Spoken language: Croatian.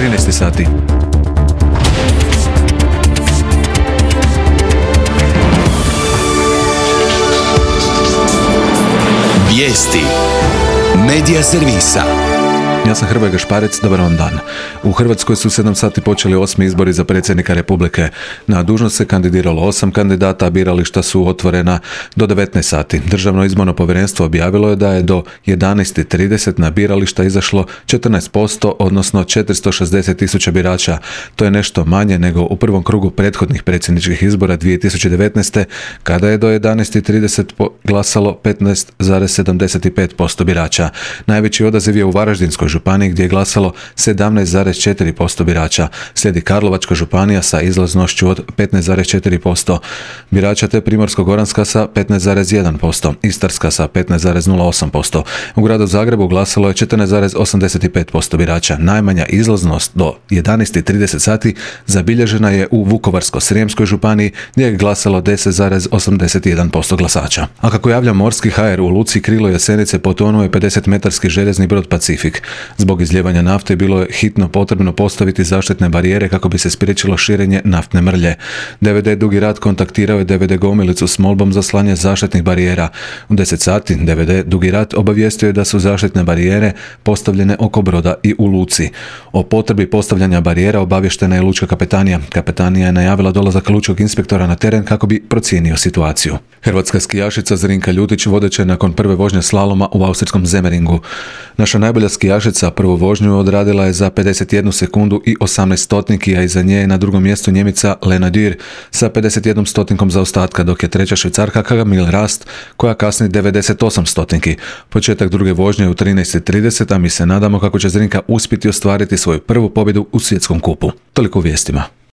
13 sati. Vijesti Medija servisa. Ja sam Hrvoje Gašparec, dobar vam dan. U Hrvatskoj su 7 sati počeli 8. izbori za predsjednika Republike. Na dužnost se kandidiralo 8 kandidata, a birališta su otvorena do 19 sati. Državno izborno povjerenstvo objavilo je da je do 11:30 na birališta izašlo 14%, odnosno 460.000 birača. To je nešto manje nego u prvom krugu prethodnih predsjedničkih izbora 2019. kada je do 11:30 glasalo 15,75% birača. Najveći odaziv je u Varaždinskoj županiji gdje je glasalo 17,4% birača. Slijedi Karlovačka županija sa izlaznošću od 15,4% birača te Primorsko-goranska sa 15,1%, Istarska sa 15,08%. U gradu Zagrebu glasalo je 14,85% birača. Najmanja izlaznost do 11:30 sati zabilježena je u Vukovarsko-srijemskoj županiji gdje je glasalo 10,81% glasača. A kako javlja Morski HR, u luci Krilo Jesenice potonuo je 50-metarski željezni brod Pacifik. Zbog izljevanja nafte bilo je hitno potrebno postaviti zaštitne barijere kako bi se spriječilo širenje naftne mrlje. DVD Dugi Rat kontaktirao je DVD Gomilicu s molbom za slanje zaštitnih barijera. U 10 sati DVD Dugi Rat obavijestio je da su zaštitne barijere postavljene oko broda i u luci. O potrebi postavljanja barijera obavještena je lučka kapetanija. Kapetanija je najavila dolazak lučkog inspektora na teren kako bi procijenio situaciju. Hrvatska skijašica Zrinka Ljutić vodeća je nakon prve vožnje slaloma u austrijskom Zemeringu. Naša najbolja skijašica prvu vožnju odradila je za 51 sekundu i 18 stotniki, a iza nje je na drugom mjestu Njemica Lena Dürr sa 51 stotinkom zaostatka, dok je treća Švicarka Camille Rast koja kasni 98 stotinki. Početak druge vožnje je u 13:30, a mi se nadamo kako će Zrinka uspjeti ostvariti svoju prvu pobjedu u svjetskom kupu. Toliko u vijestima.